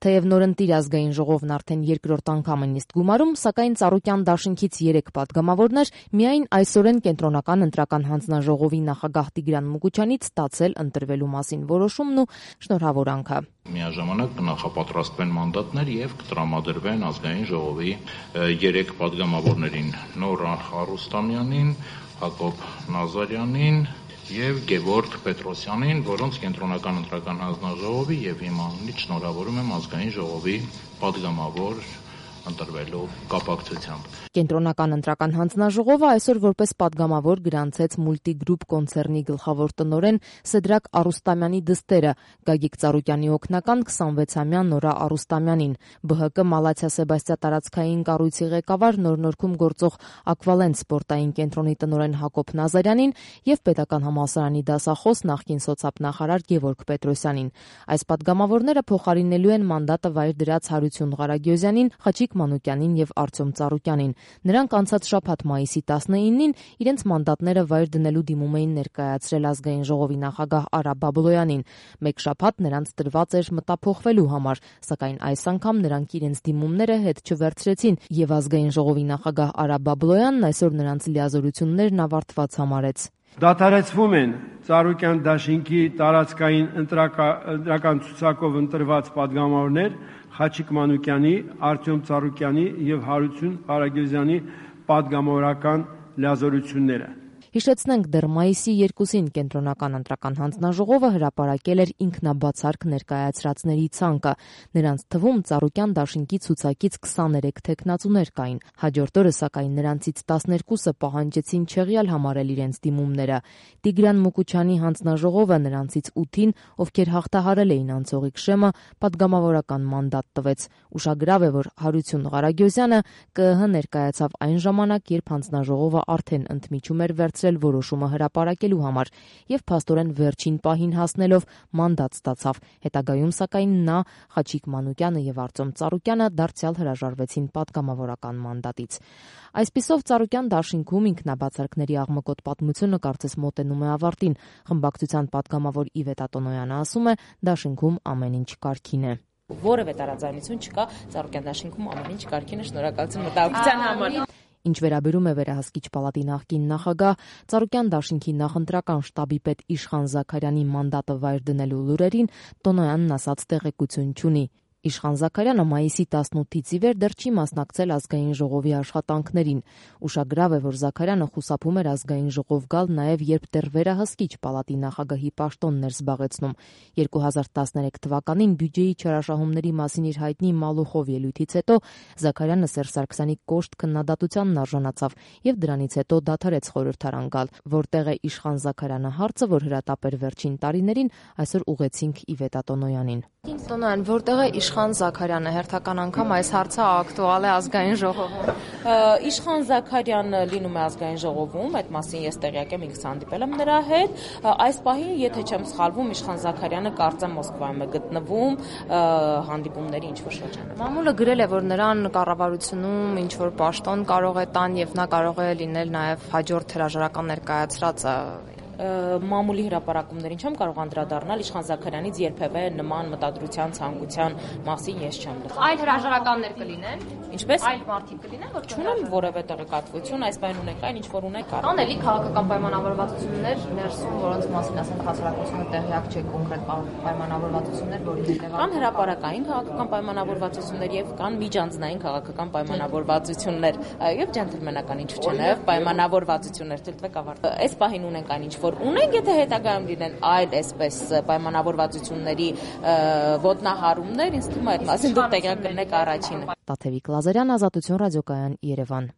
Թեև նորընտիր ազգային ժողովն արդեն երկրորդ անգամ է նիստ գումարում, սակայն Ծառուկյան դաշինքից 3 պատգամավորներ միայն այսօրեն Կենտրոնական ընտրական հանձնաժողովի նախագահ Տիգրան Մուկուչյանից ստացել ընտրվելու մասին որոշումն ու շնորհավորանքը։ Միաժամանակ կնախապատրաստվեն մանդատներ եւ կտրամադրվեն ազգային ժողովի 3 պատգամավորներին՝ Նորա Արուստամյանին, Հակոբ Նազարյանին եւ Գևորգ Պետրոսյանին, որոնց Կենտրոնական ընտրական հանձնաժողովի եւ հիմնանից շնորհավորում եմ ազգային ժողովի պատգամավոր ընտրվելու կապակցությամբ։ Կենտրոնական ընտրական հանձնաժողովը այսօր որպես պատգամավոր գրանցեց Մուլտիգրուպ կոնցեռնի գլխավոր տնօրեն Սեդրակ Արուստամյանի դստերը Գագիկ Ծառուկյանի օգնական 26-ամյա Նորա Արուստամյանին, ԲՀԿ Մալաթիա Սեբաստիա տարածքային կառույցի ղեկավար Նոր-Նորքում գործող Ակվալենտ սպորտային կենտրոնի տնօրեն Հակոբ Նազարյանին եւ Պետական համալսարանի դասախոս նախկին սոցիալ-նախարար Գևորգ Պետրոսյանին։ Այս պատգամավորները փոխարինելու են մանդատը վայր դրած Հարություն Ղարագյոզյանին, Խաչիկ Մանուկյանին եւ Արտյոմ Ծառուկյանին։ Նրանք անցած շաբաթ մայիսի 19-ին իրենց մանդատները վայր դնելու դիմում էին ներկայացրել ազգային ժողովի նախագահ Արա Բաբլոյանին։ Մեկ շաբաթ նրանց տրված էր մտափոխվելու համար, սակայն այս անգամ նրանք իրենց դիմումները հետ չվերցրեցին եւ ազգային ժողովի նախագահ Արա Բաբլոյանն այսօր նրանց լիազորություններն ավարտված համարեց։ Դադարեցվում են Ծառուկյան դաշինքի տարածքային ընտրական ցուցակով ընտրված պատգամավորներ Խաչիկ Մանուկյանի, Արտյոմ Ծառուկյանի եւ Հարություն Ղարագյոզյանի պատգամավորական լիազորությունները։ Հիշեցնենք, դեռ մայիսի 2-ին Կենտրոնական ընտրական հանձնաժողովը հրապարակել էր ինքնաբացարկ ներկայացրածների ցանկը։ Նրանց թվում Ծառուկյան դաշինքի ցուցակից 23 թեկնածուներ կային։ Հաջորդ օրը, սակայն, նրանցից 12-ը պահանջեցին չեղյալ համարել իրենց դիմումները։ Տիգրան Մուկուչյանի հանձնաժողովը նրանցից 8-ին, ովքեր հաղթահարել էին անցողիկ շեմը, պատգամավորական մանդատ տվեց։ Ուշագրավ է, որ Հարություն Ղարագյոզյանը ԿԸՀ ներկայացավ այն ժամանակ, երբ հանձնաժողովը արդեն ընդմիջում էր որոշումը հրապարակելու համար եւ փաստորեն վերջին պահին հասնելով մանդատ ստացավ։ Հետագայում, սակայն, նա, Խաչիկ Մանուկյանը եւ Արտյոմ Ծառուկյանը դարձյալ հրաժարվեցին պատգամավորական մանդատից։ Այսպիսով Ծառուկյան դաշինքում ինքնաբացարկների աղմկոտ պատմությունը կարծես մոտենում է ավարտին։ Խմբակցության պատգամավոր Իվետ Ատոնոյանը ասում է, դաշինքում ամեն ինչ կարգին է։ Որևէ տարաձայնություն չկա, Ծառուկյան դաշինքում ամեն ինչ կարգին է, շնորհակալություն մտահոգության համար։ Ինչ վերաբերում է Վերահսկիչ պալատի նախկին նախագահ, Ծառուկյան դաշինքի նախընտրական շտաբի պետ Իշխան Զաքարյանի մանդատը վայր դնելու լուրերին Տոնոյանն ասաց տեղեկություն չունի։ Իշխան Զաքարյանը մայիսի 18-ից ի վեր դեռ չի մասնակցել ազգային ժողովի աշխատանքներին։ Ուշագրավ է, որ Զաքարյանը խուսափում էր ազգային ժողով գալ նաև երբ դեռ Վերահսկիչ պալատի նախագահի պաշտոնն էր զբաղեցնում։ 2013 թվականին բյուջեի չարաշահումների մասին իր հայտնի Մալուխով ելույթից հետո Զաքարյանը Սերժ Սարգսյանի կոշտ քննադատությանն արժանացավ եւ դրանից հետո դադարեց խորհրդարան գալ, որտեղ է Իշխան Զաքարյանը հարցը, որ հրատապ էր վերջին տարիներին, այսօր ուղեցինք Իվետ Ատոնոյանին։ Տոնոյան, որտեղ է Իշխան Զաքարյանը, հերթական անգամ այս հարցը ակտուալ է ազգային ժողովում։ Իշխան Զաքարյանը լինում է ազգային ժողովում, այդ մասին ես տեղյակ եմ, ինքս հանդիպել եմ նրա հետ։ Այս պահին, եթե չեմ սխալվում, Իշխան Զաքարյանը կարծեմ Մոսկվայում է գտնվում հանդիպումների ինչ-որ շրջանում։ Մամուլը գրել է, որ նրան կառավարությունում ինչ-որ պաշտոն կարող է տան եւ նա կարող է լինել նաեւ հաջորդ հրաժարական ներկայացրածը։ Մամուլի հրապարակումներին չեմ կարող անդրադառնալ, Իշխան Զաքարյանից երբևէ նման մտադրության ցանկության մասին ես չեմ լսել։ Այլ հրաժարականներ կլինեն։ Ինչպես այլ մարդիկ կլինեն, որ չունեմ որևէ տեղեկատվություն, այս բան ունենք այն ինչ որ ունենք կարող։ Կան էլի քաղաքական պայմանավորվածություններ ներսում, որոնց մասին ասենք հասարակությունը տեղյակ չէ, կոնկրետ պայմանավորվածություններ, որի հետևանքով կան հրապարակային քաղաքական պայմանավորվածություններ եւ կան միջանձնային քաղաքական պայմանավորվածություններ, եւ ջենտլմենական ինչ չէ, նաեւ պայմանավորվածություններ թելտվեք ավարտ։ Այս պահին ունենք այն ինչ որ ունենք, եթե հետագայում լինեն այլ այսպես պայմանավորվածությունների ոտնահարումներ, ինձ թվում է այդ մասին դուք տեղյակ կլինեք առաջինը։ Տաթևիկ Լազարյան, Ազատություն ռադիոկայան, Երևան։